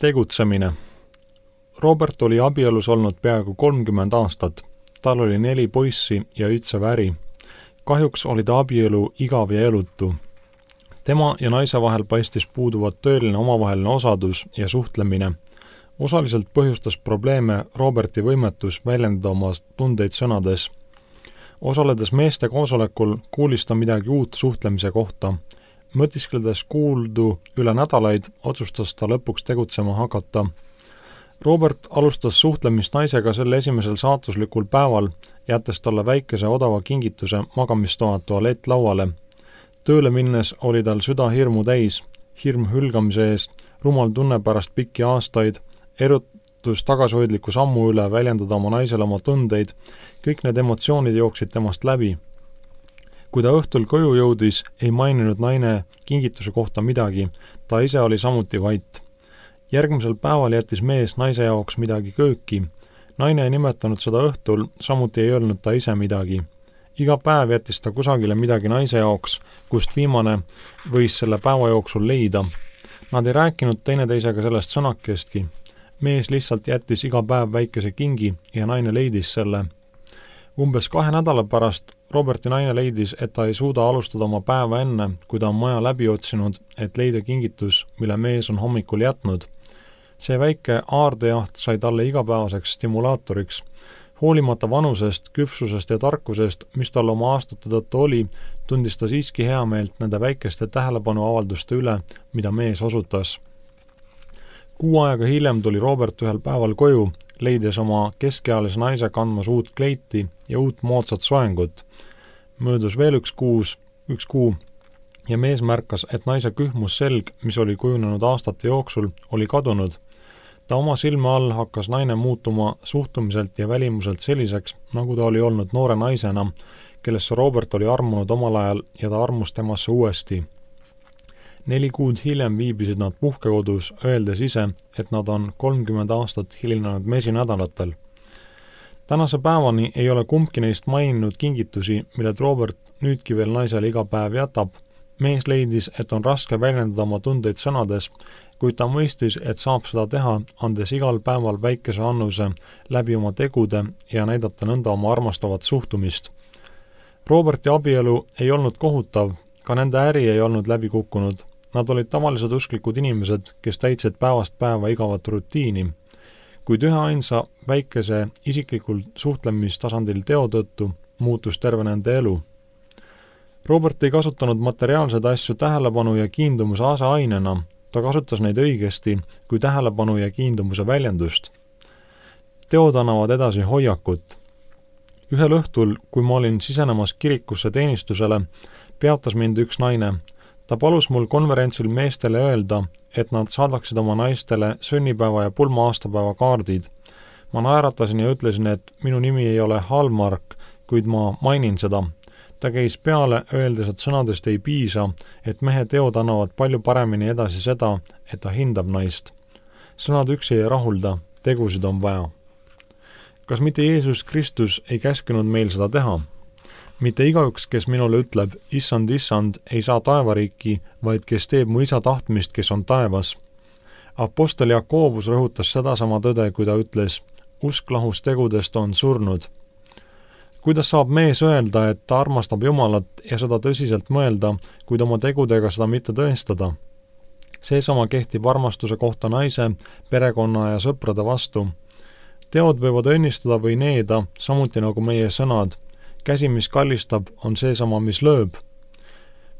Tegutsemine. Robert oli abielus olnud peaaegu 30 aastat. Tal oli 4 poissi ja üldse väri. Kahjuks oli ta abielu igav ja elutu. Tema ja naise vahel paistis puuduvat tõeline omavaheline osadus ja suhtlemine. Osaliselt põhjustas probleeme Roberti võimetus väljendada oma tundeid sõnades. Osaledes meeste koosolekul kuulis ta midagi uut suhtlemise kohta. Mõtiskledes kuuldu üle nädalaid, otsustas ta lõpuks tegutsema hakata. Robert alustas suhtlemist naisega selle esimesel saatuslikul päeval, jättes talle väikese odava kingituse magamistoa tualettlauale. Tööle minnes oli tal süda hirmu täis, hirm hülgamise ees, rumal tunne pärast pikki aastaid, erutus tagasihoidliku sammu üle väljendada oma naisele oma tundeid, kõik need emotsioonid jooksid temast läbi. Kui ta õhtul koju jõudis, ei maininud naine kingituse kohta midagi, ta ise oli samuti vait. Järgmisel päeval jättis mees naise jaoks midagi kööki. Naine ei nimetanud seda õhtul, samuti ei öelnud ta ise midagi. Iga päev jättis ta kusagile midagi naise jaoks, kust viimane võis selle päeva jooksul leida. Nad ei rääkinud teineteisega sellest sõnakestki. Mees lihtsalt jättis iga päev väikese kingi ja naine leidis selle. Umbes 2 nädala pärast Roberti naine leidis, et ta ei suuda alustada oma päeva enne, kui ta on maja läbi otsinud, et leida kingitus, mille mees on hommikul jätnud. See väike aardejaht sai talle igapäevaseks stimulaatoriks. Hoolimata vanusest, küpsusest ja tarkusest, mis tal oma aastate tõttu oli, tundis ta siiski heameelt nende väikeste tähelepanuavalduste üle, mida mees osutas. 6 aega hiljem tuli Robert ühel päeval koju, leides oma keskealise naise kandmas uut kleiti ja uut moodsat soengut. Möödus veel üks kuu ja mees märkas, et naise kühmus selg, mis oli kujunenud aastate jooksul, oli kadunud. Ta oma silme all hakkas naine muutuma suhtumiselt ja välimuselt selliseks, nagu ta oli olnud noore naisena, kellesse Robert oli armunud omal ajal ja ta armus temasse uuesti. 4 kuud hiljem viibisid nad puhkekodus, öeldes ise, et nad on 30 aastat hilinenud mesinädalatel. Tänase päevani ei ole kumbki neist maininud kingitusi, milled Robert nüüdki veel naisele iga päev jätab. Mees leidis, et on raske väljendada oma tundeid sõnades, kuid ta mõistis, et saab seda teha, andes igal päeval väikese annuse läbi oma tegude ja näidata nõnda oma armastavat suhtumist. Roberti abielu ei olnud kohutav, ka nende äri ei olnud läbi kukkunud. Nad olid tavalised usklikud inimesed, kes täitsid päevast päeva igavat rutiini, kuid üheainsa väikese isiklikul suhtlemistasandil teo tõttu muutus terve nende elu. Robert ei kasutanud materiaalseid asju tähelepanu ja kiindumuse aseainena, ta kasutas neid õigesti kui tähelepanu ja kiindumuse väljendust. Teod annavad edasi hoiakut. Ühel õhtul, kui ma olin sisenemas kirikusse teenistusele, peatas mind üks naine. Ta palus mul konverentsil meestele öelda, et nad saadaksid oma naistele sünnipäeva ja pulma aastapäeva kaardid. Ma naeratasin ja ütlesin, et minu nimi ei ole Hallmark, kuid ma mainin seda. Ta käis peale, öeldes, et sõnadest ei piisa, et mehe teod annavad palju paremini edasi seda, et ta hindab naist. Sõnad üksi ei rahulda, tegusid on vaja. Kas mitte Jeesus Kristus ei käskinud meil seda teha? Mitte igaüks, kes minule ütleb, issand, ei saa taevariiki, vaid kes teeb mu isa tahtmist, kes on taevas. Apostel Jakobus rõhutas sedasama tõde, kui ta ütles, usk lahus tegudest on surnud. Kuidas saab mees öelda, et ta armastab Jumalat ja seda tõsiselt mõelda, kuid oma tegudega seda mitte tõestada? Seesama kehtib armastuse kohta naise, perekonna ja sõprade vastu. Teod võivad õnnistada või needa, samuti nagu meie sõnad. Käsi, mis kallistab, on seesama, mis lööb.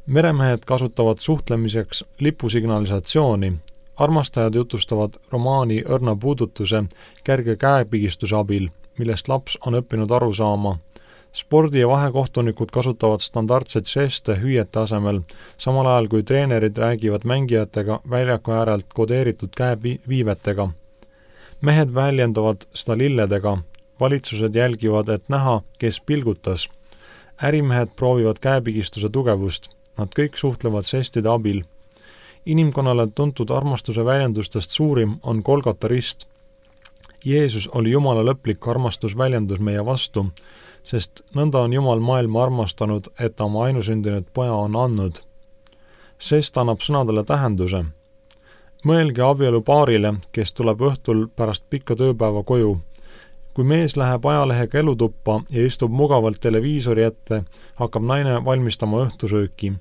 Meremehed kasutavad suhtlemiseks lipusignalisatsiooni. Armastajad jutustavad romaani õrna puudutuse kerge käepigistuse abil, millest laps on õppinud aru saama. Spordi- ja vahekohtunikud kasutavad standardseid žeste hüüete asemel, samal ajal kui treenerid räägivad mängijatega väljaku äärelt kodeeritud käeviivetega. Mehed väljendavad seda lilledega. Valitsused jälgivad, et näha, kes pilgutas. Ärimehed proovivad käepigistuse tugevust. Nad kõik suhtlevad žestide abil. Inimkonnale tuntud armastuse väljendustest suurim on Golgata rist. Jeesus oli Jumala lõplik armastusväljendus meie vastu, sest nõnda on Jumal maailma armastanud, et ta oma ainusündinud poja on andnud. Žest annab sõnadele tähenduse. Mõelge abielupaarile, kes tuleb õhtul pärast pikka tööpäeva koju. Kui mees läheb ajalehega elutuppa ja istub mugavalt televiisori ette, hakkab naine valmistama õhtusööki.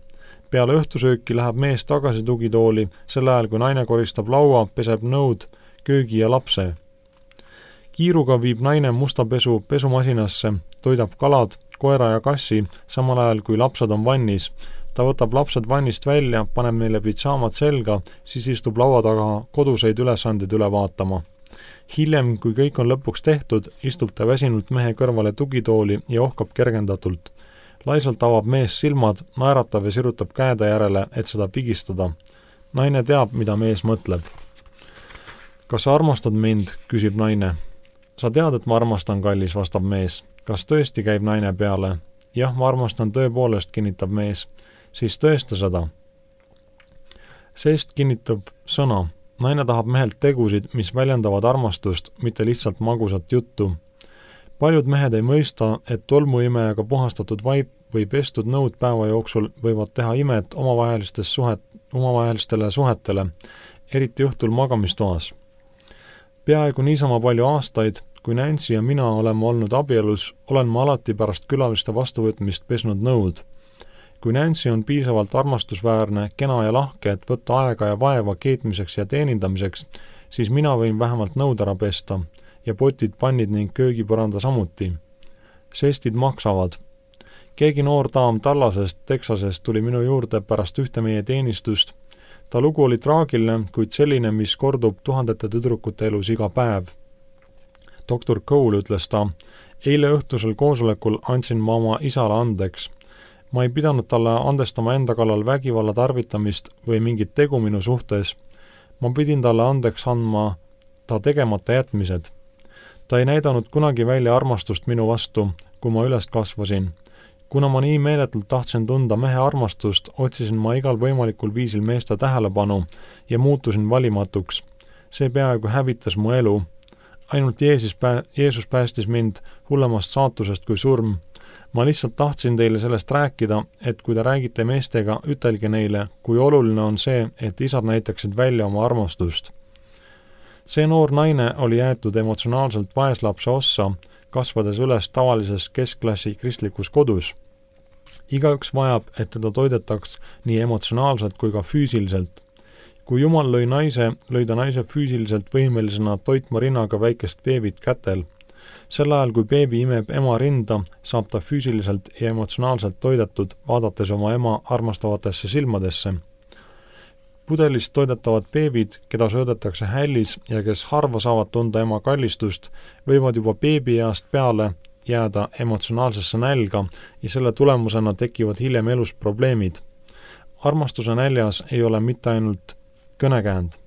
Peale õhtusööki läheb mees tagasi tugitooli, sel ajal kui naine koristab laua, peseb nõud, köögi ja lapse. Kiiruga viib naine musta pesu pesumasinasse, toidab kalad, koera ja kassi, samal ajal kui lapsed on vannis. Ta võtab lapsed vannist välja, paneb neile pitsaamad selga, siis istub laua taga koduseid ülesandeid üle vaatama. Hiljem, kui kõik on lõpuks tehtud, istub ta väsinult mehe kõrvale tugitooli ja ohkab kergendatult. Laisalt avab mees silmad, naeratab ja sirutab käede järele, et seda pigistada. Naine teab, mida mees mõtleb. Kas sa armastad mind, küsib naine. Sa tead, et ma armastan, kallis, vastab mees. Kas tõesti, käib naine peale? Jah, ma armastan tõepoolest, kinnitab mees. Siis tõesta seda. Seest kinnitab sõna. Naine tahab mehelt tegusid, mis väljendavad armastust, mitte lihtsalt magusat juttu. Paljud mehed ei mõista, et tolmuimejaga puhastatud vaip või pestud nõud päeva jooksul võivad teha imet omavahelistele suhetele, eriti õhtul magamistoas. Peaaegu niisama palju aastaid, kui Nancy ja mina oleme olnud abielus, olen ma alati pärast külaliste vastuvõtmist pesnud nõud. Kui Nancy on piisavalt armastusväärne, kena ja lahke, et võtta aega ja vaeva keetmiseks ja teenindamiseks, siis mina võin vähemalt nõud ära pesta ja potid, pannid ning köögipõranda samuti. Sestid maksavad. Keegi noor daam Tallasest, Texasest tuli minu juurde pärast ühte meie teenistust. Ta lugu oli traagiline, kuid selline, mis kordub tuhandete tüdrukute elus iga päev. Dr. Cole, ütles ta, eile õhtusel koosolekul andsin ma oma isale andeks. Ma ei pidanud talle andestama enda kallal vägivalla tarvitamist või mingit tegu minu suhtes. Ma pidin talle andeks andma ta tegemata jätmised. Ta ei näidanud kunagi välja armastust minu vastu, kui ma üles kasvasin. Kuna ma nii meeletult tahtsin tunda mehe armastust, otsisin ma igal võimalikul viisil meeste tähelepanu ja muutusin valimatuks. See peaaegu hävitas mu elu. Ainult Jeesus päästis mind hullemast saatusest kui surm. Ma lihtsalt tahtsin teile sellest rääkida, et kui te räägite meestega, ütelge neile, kui oluline on see, et isad näitaksid välja oma armastust. See noor naine oli jäetud emotsionaalselt vaeslapse ossa, kasvades üles tavalises keskklassi kristlikus kodus. Igaüks vajab, et teda toidetaks nii emotsionaalselt kui ka füüsiliselt. Kui Jumal lõi naise, lõi ta naise füüsiliselt võimelisena toitma rinnaga väikest beebit kätel. Sel ajal, kui beebi imeb ema rinda, saab ta füüsiliselt ja emotsionaalselt toidetud, vaadates oma ema armastavatesse silmadesse. Pudelist toidetavad beebid, keda söödetakse hällis ja kes harva saavad tunda ema kallistust, võivad juba beebieast peale jääda emotsionaalsesse nälga ja selle tulemusena tekivad hiljem elus probleemid. Armastuse näljas ei ole mitte ainult kõnekäänd.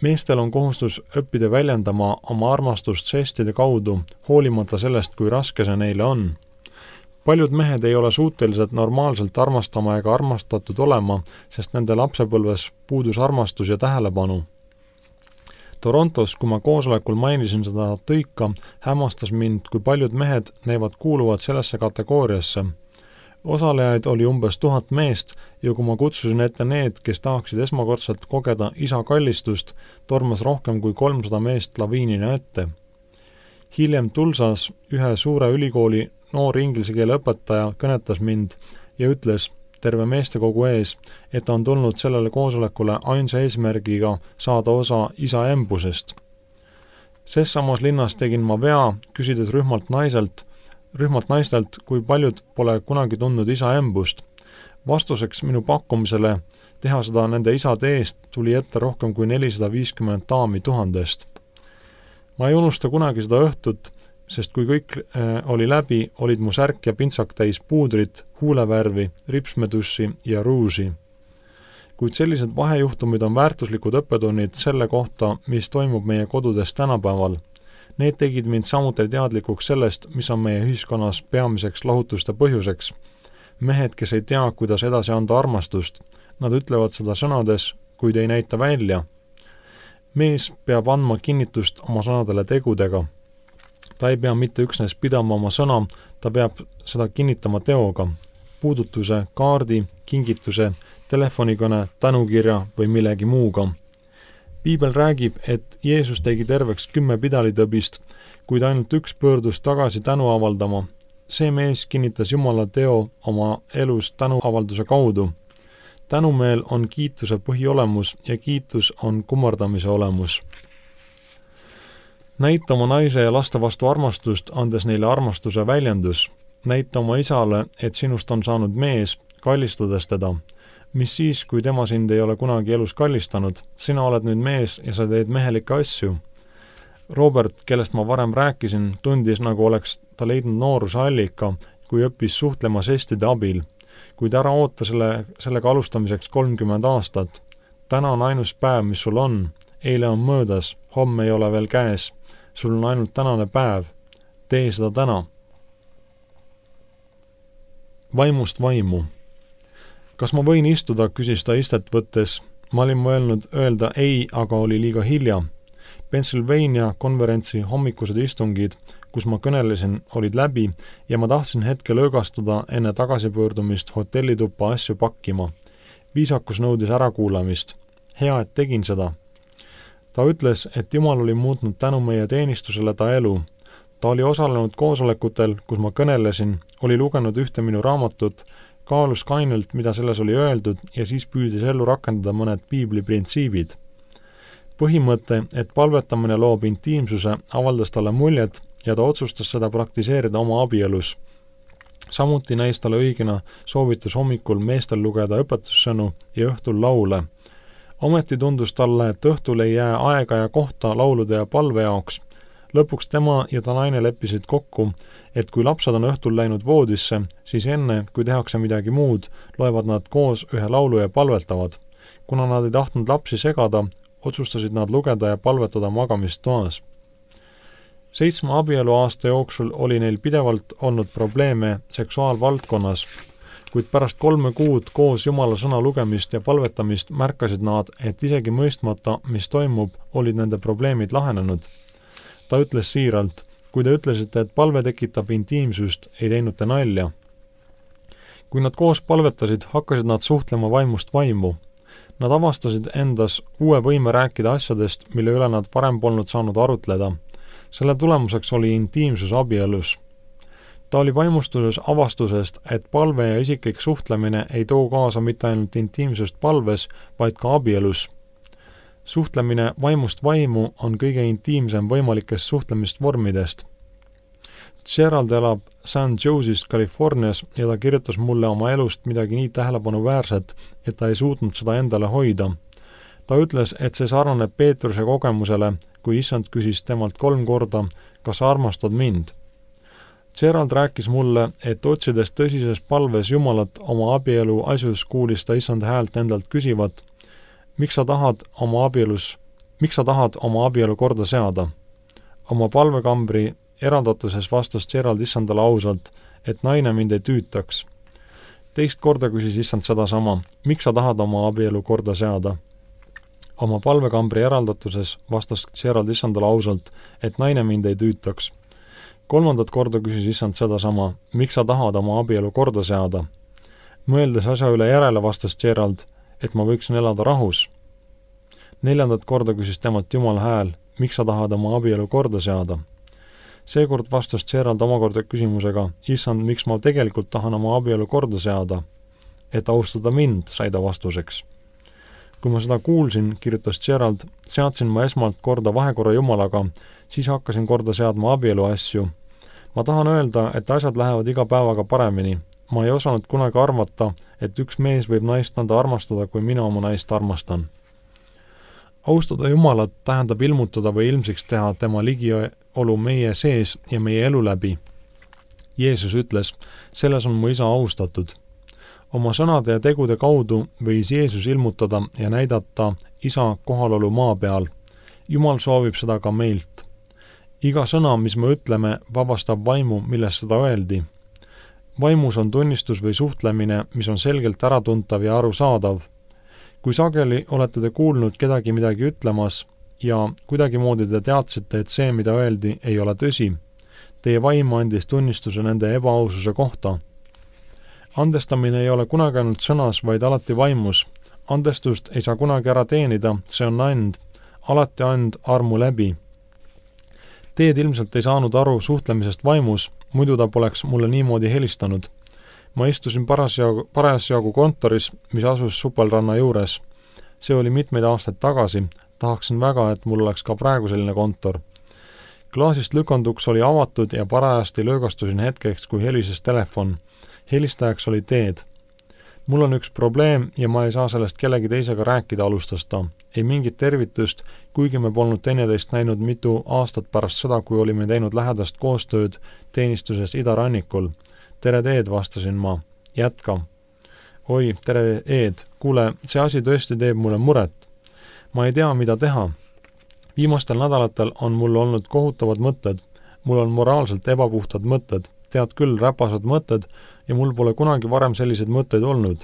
Meestel on kohustus õppida väljendama oma armastust žestide kaudu, hoolimata sellest, kui raske see neile on. Paljud mehed ei ole suutelised normaalselt armastama ega armastatud olema, sest nende lapsepõlves puudus armastus ja tähelepanu. Torontos, kui ma koosolekul mainisin seda tõika, hämmastas mind, kui paljud mehed näivad kuuluvad sellesse kategooriasse. Osalejaid oli umbes 1000 meest ja kui ma kutsusin ette need, kes tahaksid esmakordselt kogeda isa kallistust, tormas rohkem kui 300 meest laviinina ette. Hiljem Tulsas ühe suure ülikooli noor inglise keele õpetaja kõnetas mind ja ütles terve meestekogu ees, et ta on tulnud sellele koosolekule ainsa eesmärgiga saada osa isa embusest. Ses samas linnas tegin ma vea, küsides rühmalt naistelt, kui paljud pole kunagi tundnud isa embust. Vastuseks minu pakkumisele teha seda nende isade eest tuli ette rohkem kui 450 daami 1000. Ma ei unusta kunagi seda õhtut, sest kui kõik oli läbi, olid mu särk ja pintsak täis puudrit, huulevärvi, ripsmedussi ja ruusi. Kuid sellised vahejuhtumid on väärtuslikud õppetunnid selle kohta, mis toimub meie kodudes tänapäeval. Need tegid mind samuti teadlikuks sellest, mis on meie ühiskonnas peamiseks lahutuste põhjuseks. Mehed, kes ei tea, kuidas edasi anda armastust, nad ütlevad seda sõnades, kuid ei näita välja. Mees peab andma kinnitust oma sõnadele tegudega. Ta ei pea mitte üksnes pidama oma sõna, ta peab seda kinnitama teoga. Puudutuse, kaardi, kingituse, telefonikõne, tänukirja või millegi muuga. Piibel räägib, et Jeesus tegi terveks 10 pidalitõbist, kuid ainult üks pöördus tagasi tänu avaldama. See mees kinnitas Jumala teo oma elus tänuavalduse kaudu. Tänumeel on kiituse põhiolemus ja kiitus on kummardamise olemus. Näita oma naise ja laste vastu armastust, andes neile armastuse väljendus. Näita oma isale, et sinust on saanud mees, kallistades teda. Mis siis, kui tema sind ei ole kunagi elus kallistanud? Sina oled nüüd mees ja sa teed mehelikke asju. Robert, kellest ma varem rääkisin, tundis, nagu oleks ta leidnud nooruse allika, kui õppis suhtlema žestide abil. Kuid ära oota sellega alustamiseks 30 aastat. Täna on ainus päev, mis sul on. Eile on möödas, homme ei ole veel käes. Sul on ainult tänane päev. Tee seda täna. Vaimust vaimu. Kas ma võin istuda, küsis ta istet võttes. Ma olin mõelnud öelda ei, aga oli liiga hilja. Pennsylvania konverentsi hommikused istungid, kus ma kõnelesin, olid läbi ja ma tahtsin hetke lõõgastuda enne tagasipöördumist hotellituppa asju pakkima. Viisakus nõudis ärakuulamist. Hea, et tegin seda. Ta ütles, et Jumal oli muutnud tänu meie teenistusele ta elu. Ta oli osalenud koosolekutel, kus ma kõnelesin, oli lugenud ühte minu raamatut, kaalus kainelt, mida selles oli öeldud ja siis püüdis ellu rakendada mõned piibli printsiibid. Põhimõte, et palvetamine loob intiimsuse, avaldas talle muljet ja ta otsustas seda praktiseerida oma abielus. Samuti näis talle õigena soovitus hommikul meestel lugeda õpetussõnu ja õhtul laule. Ometi tundus talle, et õhtul ei jää aega ja kohta laulude ja palve jaoks. Lõpuks tema ja ta naine leppisid kokku, et kui lapsed on õhtul läinud voodisse, siis enne, kui tehakse midagi muud, loevad nad koos ühe laulu ja palvetavad. Kuna nad ei tahtnud lapsi segada, otsustasid nad lugeda ja palvetada magamistoas. 7 abieluaasta jooksul oli neil pidevalt olnud probleeme seksuaalvaldkonnas, kuid pärast 3 kuud koos Jumala sõna lugemist ja palvetamist märkasid nad, et isegi mõistmata, mis toimub, olid nende probleemid lahenenud. Ta ütles siiralt, kui te ütlesite, et palve tekitab intiimsust, ei teinud te nalja. Kui nad koos palvetasid, hakkasid nad suhtlema vaimust vaimu. Nad avastasid endas uue võime rääkida asjadest, mille üle nad varem polnud saanud arutleda. Selle tulemuseks oli intiimsus abielus. Ta oli vaimustuses avastusest, et palve ja isiklik suhtlemine ei too kaasa mitte ainult intiimsust palves, vaid ka abielus. Suhtlemine vaimust vaimu on kõige intiimsem võimalikest suhtlemisvormidest. Gerald elab San Jose'ist Californias ja ta kirjutas mulle oma elust midagi nii tähelepanuväärset, et ta ei suutnud seda endale hoida. Ta ütles, et see sarnaneb Peetruse kogemusele, kui issand küsis temalt 3 korda, kas sa armastad mind. Gerald rääkis mulle, et otsides tõsises palves Jumalat oma abielu asjus, kuulis ta issand häält endalt küsivat, miks sa tahad oma abielu korda seada? Oma palvekambri eraldatuses vastas Gerald issandale ausalt, et naine mind ei tüütaks. Teist korda küsis issand sedasama, miks sa tahad oma abielu korda seada? Oma palvekambri eraldatuses vastas Gerald issandale ausalt, et naine mind ei tüütaks. 3. korda küsis issand sedasama, miks sa tahad oma abielu korda seada? Mõeldes asja üle järele vastas Gerald, et ma võiksin elada rahus. 4. korda küsis temalt Jumal hääl, miks sa tahad oma abielu korda seada? Seekord vastas Gerald omakorda küsimusega, issand, miks ma tegelikult tahan oma abielu korda seada? Et austada mind, sai ta vastuseks. Kui ma seda kuulsin, kirjutas Gerald, seadsin ma esmalt korda vahekorra Jumalaga, siis hakkasin korda seadma abielu asju. Ma tahan öelda, et asjad lähevad iga päevaga paremini. Ma ei osanud kunagi arvata, et üks mees võib naist nõnda armastada, kui mina oma naist armastan. Austada Jumalat tähendab ilmutada või ilmsiks teha tema ligiolu meie sees ja meie elu läbi. Jeesus ütles, selles on mu isa austatud. Oma sõnade ja tegude kaudu võis Jeesus ilmutada ja näidata isa kohalolu maa peal. Jumal soovib seda ka meilt. Iga sõna, mis me ütleme, vabastab vaimu, millest seda öeldi. Vaimus on tunnistus või suhtlemine, mis on selgelt äratuntav ja arusaadav. Kui sageli olete te kuulnud kedagi midagi ütlemas ja kuidagimoodi te teadsite, et see, mida öeldi, ei ole tõsi. Teie vaim andis tunnistuse nende ebaaususe kohta. Andestamine ei ole kunagi ainult sõnas, vaid alati vaimus. Andestust ei saa kunagi ära teenida, see on and. alati ainult armu läbi. Teed ilmselt ei saanud aru suhtlemisest vaimus, muidu ta poleks mulle niimoodi helistanud. Ma istusin parasjagu kontoris, mis asus Supelranna juures. See oli mitmeid aastaid tagasi, tahaksin väga, et mul oleks ka praegu selline kontor. Klaasist lükanduks oli avatud ja parajasti löögastusin hetkeks, kui helises telefon. Helistajaks oli Teed. Mul on üks probleem ja ma ei saa sellest kellegi teisega rääkida, alustas ta. Ei mingit tervitust, kuigi me polnud teineteist näinud mitu aastat pärast seda, kui olime teinud lähedast koostööd teenistuses idarannikul. Tere Teed, vastasin ma. Jätka. Oi, tere Eed, kuule, see asi tõesti teeb mulle muret. Ma ei tea, mida teha. Viimastel nädalatel on mul olnud kohutavad mõtted. Mul on moraalselt ebapuhtad mõtted. Tead küll, räpased mõtted ja mul pole kunagi varem selliseid mõtteid olnud.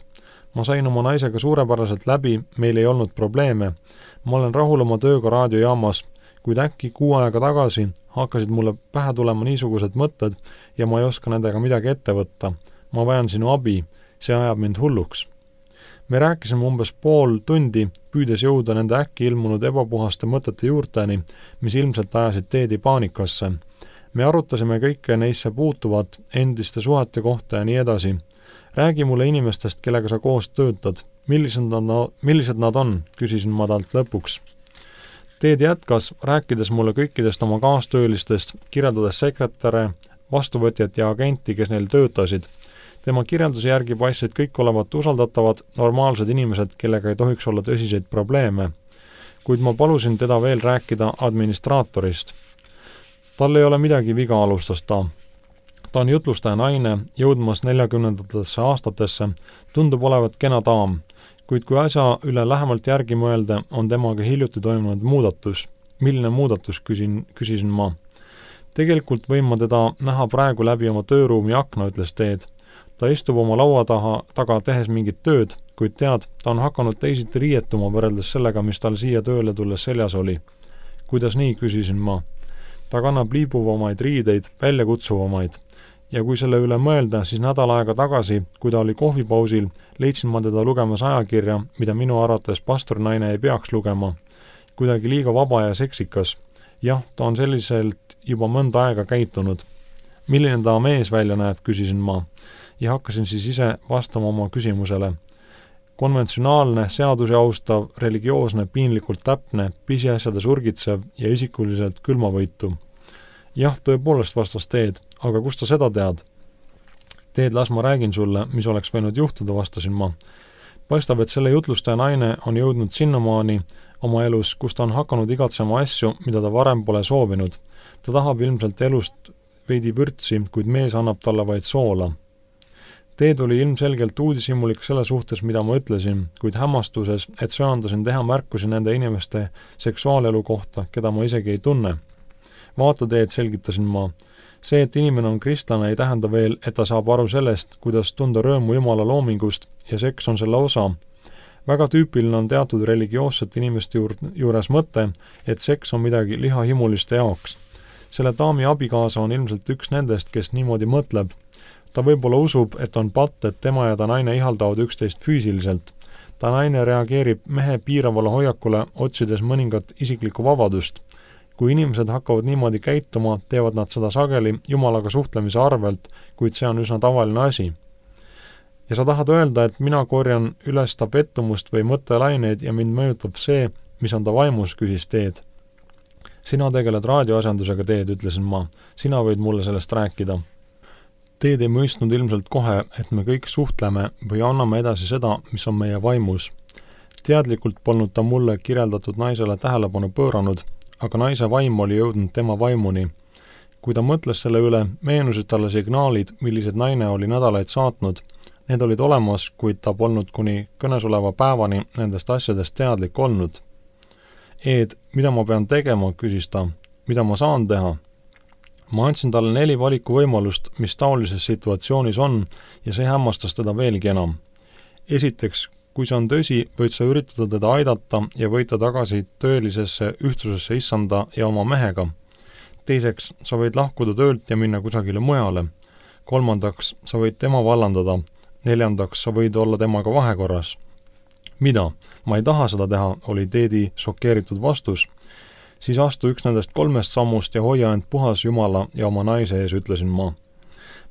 Ma sain oma naisega suurepäraselt läbi, meil ei olnud probleeme. Ma olen rahul oma tööga raadiojaamas, kuid äkki 6 aega tagasi hakkasid mulle pähe tulema niisugused mõtted ja ma ei oska nendega midagi ette võtta. Ma vajan sinu abi, see ajab mind hulluks. Me rääkisime umbes pool tundi, püüdes jõuda nende äkki ilmunud ebapuhaste mõtete juurteni, mis ilmselt ajasid Teedi paanikasse. Me arutasime kõike neisse puutuvat, endiste suhete kohta ja nii edasi. Räägi mulle inimestest, kellega sa koos töötad. Millised nad on, küsisin ma talt lõpuks. Teed jätkas, rääkides mulle kõikidest oma kaastöölistest, kirjeldades sekretäre, vastuvõtjat ja agenti, kes neil töötasid. Tema kirjelduse järgi paistsid kõik olevat usaldatavad, normaalsed inimesed, kellega ei tohiks olla tõsiseid probleeme. Kuid ma palusin teda veel rääkida administraatorist. Tal ei ole midagi viga, alustas ta. Ta on jutlustaja naine, jõudmas 40. aastatesse, tundub olevat kena daam, kuid kui asja üle lähemalt järgi mõelda, on temaga hiljuti toimunud muudatus. Milline muudatus, küsisin ma. Tegelikult võin ma teda näha praegu läbi oma tööruumi akna, ütles Teed. Ta istub oma laua taga tehes mingit tööd, kuid tead, ta on hakanud teisiti riietuma võrreldes sellega, mis tal siia tööle tulles seljas oli. Kuidas nii, küsisin ma. Ta kannab liibuvamaid riideid, väljakutsuvamaid. Ja kui selle üle mõelda, siis nädal aega tagasi, kui ta oli kohvipausil, leidsin ma teda lugemas ajakirja, mida minu arvates pastorinaine ei peaks lugema. Kuidagi liiga vaba ja seksikas. Jah, ta on selliselt juba mõnda aega käitunud. Milline ta mees välja näeb, küsisin ma. Ja hakkasin siis ise vastama oma küsimusele. Konventsionaalne, seadusi austav, religioosne, piinlikult täpne, pisiasjade surgitsev ja isikuliselt külmavõitu. Jah, tõepoolest, vastas Teed, aga kust ta seda tead? Teed, las ma räägin sulle, mis oleks võinud juhtuda, vastasin ma. Paistab, et selle jutlustaja naine on jõudnud sinnamaani oma elus, kus ta on hakanud igatsema asju, mida ta varem pole soovinud. Ta tahab ilmselt elust veidi vürtsi, kuid mees annab talle vaid soola. Teed oli ilmselgelt uudishimulik selle suhtes, mida ma ütlesin, kuid hämmastuses, et söandasin teha märkusi nende inimeste seksuaalelu kohta, keda ma isegi ei tunne. Vaata Teed, selgitasin ma. See, et inimene on kristlane, ei tähenda veel, et ta saab aru sellest, kuidas tunda rõõmu Jumala loomingust ja seks on selle osa. Väga tüüpiline on teatud religioossete inimeste juures mõte, et seks on midagi lihahimuliste jaoks. Selle daami abikaasa on ilmselt üks nendest, kes niimoodi mõtleb. Ta võib-olla usub, et on patt, et tema ja ta naine ihaldavad üksteist füüsiliselt. Ta naine reageerib mehe piiravale hoiakule, otsides mõningat isiklikku vabadust. Kui inimesed hakkavad niimoodi käituma, teevad nad seda sageli Jumalaga suhtlemise arvelt, kuid see on üsna tavaline asi. Ja sa tahad öelda, et mina korjan üles ta pettumust või mõttelaineid ja mind mõjutab see, mis on ta vaimus, küsis Teed. Sina tegeled raadioasendusega, Teed, ütlesin ma. Sina võid mulle sellest rääkida. Teed ei mõistnud ilmselt kohe, et me kõik suhtleme või anname edasi seda, mis on meie vaimus. Teadlikult polnud ta mulle kirjeldatud naisele tähelepanu pööranud, aga naise vaim oli jõudnud tema vaimuni. Kui ta mõtles selle üle, meenusid talle signaalid, millised naine oli nädalaid saatnud. Need olid olemas, kuid ta polnud kuni kõnesoleva päevani nendest asjadest teadlik olnud. Eed, mida ma pean tegema, küsis ta. Mida ma saan teha? Ma andsin talle 4 valikuvõimalust, mis taolises situatsioonis on, ja see hämmastas teda veelgi enam. Esiteks, kui see on tõsi, võid sa üritada teda aidata ja võita tagasi tõelisesse ühtsusesse issanda ja oma mehega. Teiseks, sa võid lahkuda töölt ja minna kusagile mujale. Kolmandaks, sa võid tema vallandada. Neljandaks, sa võid olla temaga vahekorras. Mida? Ma ei taha seda teha, oli Teedi šokeeritud vastus. siis astu üks nendest 3 sammust ja hoia end puhas Jumala ja oma naise ees, ütlesin ma.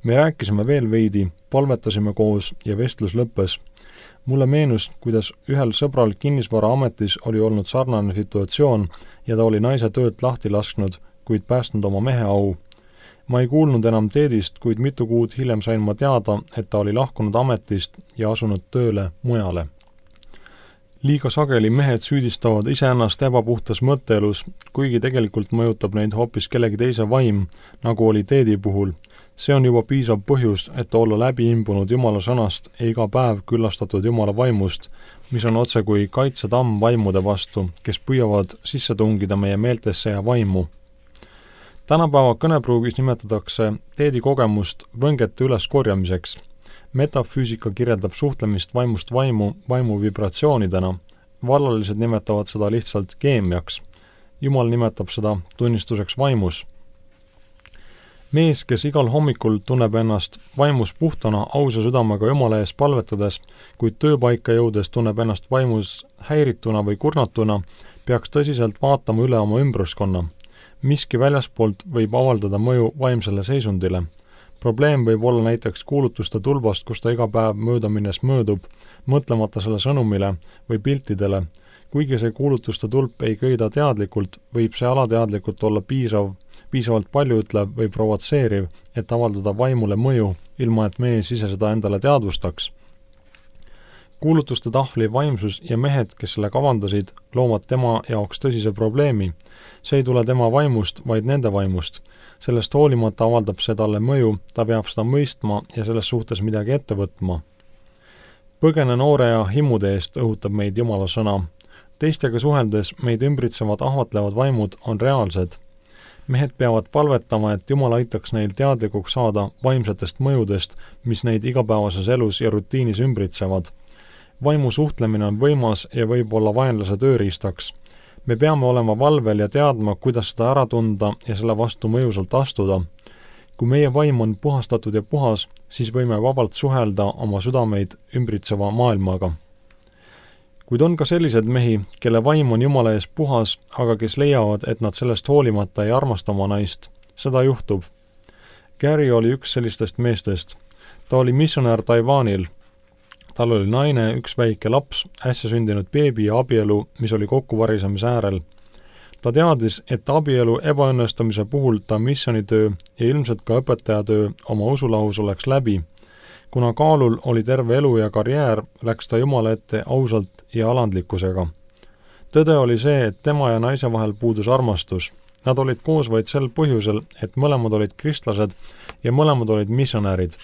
Me rääkisime veel veidi, palvetasime koos ja vestlus lõppes. Mulle meenus, kuidas ühel sõbral kinnisvaraametis oli olnud sarnane situatsioon ja ta oli naise töölt lahti lasknud, kuid päästnud oma mehe au. Ma ei kuulnud enam Teedist, kuid mitu kuud hiljem sain ma teada, et ta oli lahkunud ametist ja asunud tööle mujale. Liiga sageli mehed süüdistavad iseennast ebapuhtas mõtteelus, kuigi tegelikult mõjutab neid hoopis kellegi teise vaim, nagu oli Teedi puhul. See on juba piisav põhjus, et olla läbi imbunud Jumala sõnast ja iga päev küllastatud Jumala vaimust, mis on otse kui kaitsetamm vaimude vastu, kes püüavad sisse tungida meie meeltesse ja vaimu. Tänapäeva kõnepruugis nimetatakse Teedi kogemust võngete üleskorjamiseks. Metafüüsika kirjeldab suhtlemist vaimust vaimu vibratsioonidena. Vallalised nimetavad seda lihtsalt keemiaks. Jumal nimetab seda tunnistuseks vaimus. Mees, kes igal hommikul tunneb ennast vaimus puhtana ausa südamega Jumala ees palvetades, kuid tööpaika jõudes tunneb ennast vaimus häirituna või kurnatuna, peaks tõsiselt vaatama üle oma ümbruskonna. Miski väljaspoolt võib avaldada mõju vaimsele seisundile. Probleem võib olla näiteks kuulutuste tulbast, kus ta iga päev mööda minnes möödub, mõtlemata selle sõnumile või piltidele. Kuigi see kuulutuste tulp ei köida teadlikult, võib see alateadlikult olla piisavalt paljuütlev või provotseeriv, et avaldada vaimule mõju, ilma et mees ise seda endale teadvustaks. Kuulutuste tahvli vaimsus ja mehed, kes selle kavandasid, loovad tema jaoks tõsise probleemi. See ei tule tema vaimust, vaid nende vaimust. Sellest hoolimata avaldab see talle mõju, ta peab seda mõistma ja selles suhtes midagi ette võtma. Põgene noore ja himude eest õhutab meid Jumala sõna. Teistega suheldes meid ümbritsevad ahvatlevad vaimud on reaalsed. Mehed peavad palvetama, et Jumal aitaks neil teadlikuks saada vaimsetest mõjudest, mis neid igapäevases elus ja rutiinis ümbritsevad. Vaimu suhtlemine on võimas ja võib olla vaenlase tööriistaks. Me peame olema valvel ja teadma, kuidas seda ära tunda ja selle vastu mõjusalt astuda. Kui meie vaim on puhastatud ja puhas, siis võime vabalt suhelda oma südameid ümbritseva maailmaga. Kuid on ka sellised mehi, kelle vaim on Jumala ees puhas, aga kes leiavad, et nad sellest hoolimata ei armasta oma naist. Seda juhtub. Gary oli üks sellistest meestest. Ta oli missionär Taiwanil. Tal oli naine, üks väike laps, äsja sündinud beebi ja abielu, mis oli kokkuvarisemise äärel. Ta teadis, et abielu ebaõnnestumise puhul ta missionitöö ja ilmselt ka õpetajatöö oma usulahus oleks läbi. Kuna kaalul oli terve elu ja karjäär, läks ta Jumala ette ausalt ja alandlikkusega. Tõde oli see, et tema ja naise vahel puudus armastus. Nad olid koos vaid sel põhjusel, et mõlemad olid kristlased ja mõlemad olid missionärid.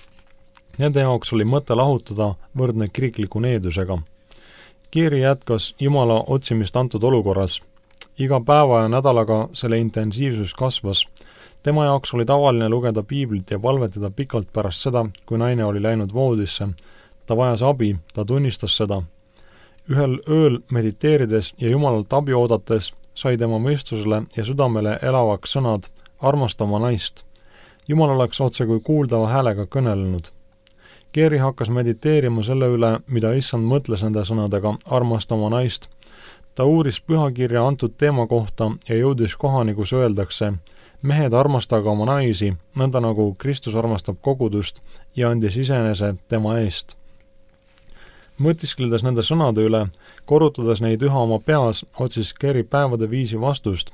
Nende jaoks oli mõte lahutada võrdne kirikliku needusega. Kiiri jätkas Jumala otsimist antud olukorras. Iga päeva ja nädalaga selle intensiivsus kasvas. Tema jaoks oli tavaline lugeda piiblit ja palvetada pikalt pärast seda, kui naine oli läinud voodisse. Ta vajas abi, ta tunnistas seda. Ühel ööl mediteerides ja Jumalalt abi oodates sai tema mõistusele ja südamele elavaks sõnad armasta oma naist. Jumal oleks otse kui kuuldava häälega kõnelenud. Gary hakkas mediteerima selle üle, mida Issand mõtles nende sõnadega armasta oma naist. Ta uuris pühakirja antud teema kohta ja jõudis kohani, kus öeldakse, mehed armastaga oma naisi, nõnda nagu Kristus armastab kogudust ja andis iseenese tema eest. Mõtiskledes nende sõnade üle, korrutades neid üha oma peas, otsis Gary päevade viisi vastust.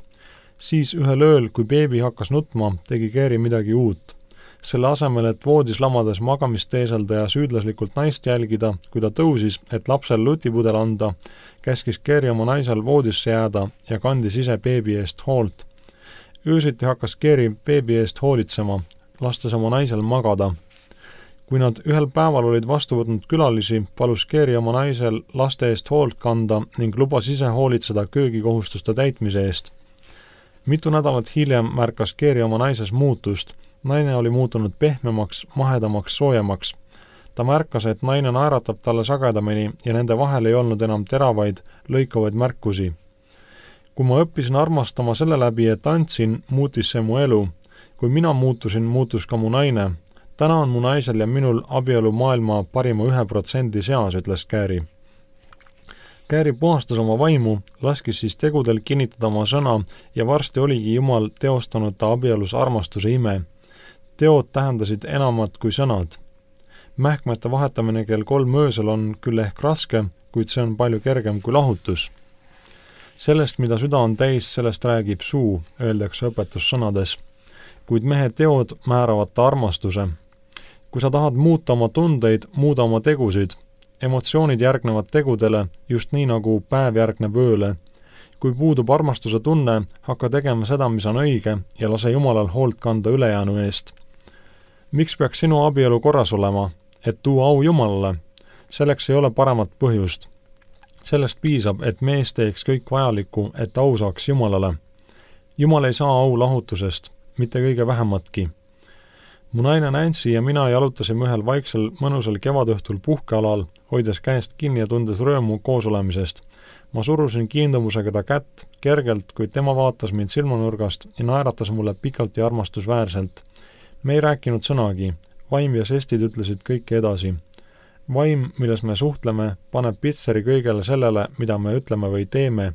Siis ühel ööl, kui beebi hakkas nutma, tegi Gary midagi uut. Selle asemel, et voodis lamades magamist teeselda ja süüdlaslikult naist jälgida, kui ta tõusis, et lapsel lutipudel anda, käskis Gary oma naisel voodisse jääda ja kandis ise beebi eest hoolt. Öösiti hakkas Gary beebi eest hoolitsema, lastes oma naisel magada. Kui nad ühel päeval olid vastu võtnud külalisi, palus Gary oma naisel laste eest hoolt kanda ning lubas ise hoolitseda köögikohustuste täitmise eest. Mitu nädalat hiljem märkas Gary oma naises muutust. Naine oli muutunud pehmemaks, mahedamaks, soojemaks. Ta märkas, et naine naeratab talle sagedamini ja nende vahel ei olnud enam teravaid, lõikavaid märkusi. Kui ma õppisin armastama selle läbi, et andsin, muutis see mu elu. Kui mina muutusin, muutus ka mu naine. Täna on mu naisel ja minul abielu maailma parima 1% seas, ütles Gary. Kääri puhastas oma vaimu, laskis siis tegudel kinnitada oma sõna ja varsti oligi Jumal teostanud ta abielus armastuse ime. Teod tähendasid enamat kui sõnad. Mähkmete vahetamine kell 3 öösel on küll ehk raske, kuid see on palju kergem kui lahutus. Sellest, mida süda on täis, sellest räägib suu, öeldakse õpetussõnades. Kuid mehe teod määravad ta armastuse. Kui sa tahad muuta oma tundeid, muuda oma tegusid. Emotsioonid järgnevad tegudele, just nii nagu päev järgneb ööle. Kui puudub armastuse tunne, hakka tegema seda, mis on õige ja lase Jumalal hoolt kanda ülejäänu eest. Miks peaks sinu abielu korras olema? Et tuua au Jumalale. Selleks ei ole paremat põhjust. Sellest piisab, et mees teeks kõik vajalikku, et au saaks Jumalale. Jumal ei saa au lahutusest, mitte kõige vähematki. Mu naine Nancy ja mina jalutasime ühel vaiksel mõnusal kevadõhtul puhkealal, hoides käest kinni ja tundes rõõmu koos olemisest. Ma surusin kiindumusega ta kätt, kergelt, kuid tema vaatas mind silmanurgast ja naeratas mulle pikalt ja armastusväärselt. Me ei rääkinud sõnagi, vaim ja sestid ütlesid kõike edasi. Vaim, milles me suhtleme, paneb pitseri kõigele sellele, mida me ütleme või teeme.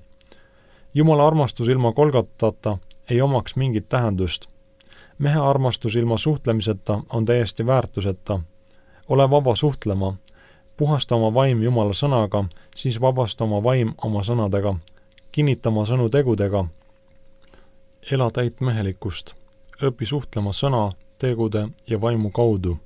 Jumala armastus ilma Golgotata ei omaks mingit tähendust. Mehe armastus ilma suhtlemiseta on täiesti väärtuseta. Ole vaba suhtlema. Puhasta oma vaim Jumala sõnaga, siis vabasta oma vaim oma sõnadega. Kinnita oma sõnu tegudega. Ela täit mehelikkust. Õpi suhtlema sõna, tegude ja vaimu kaudu.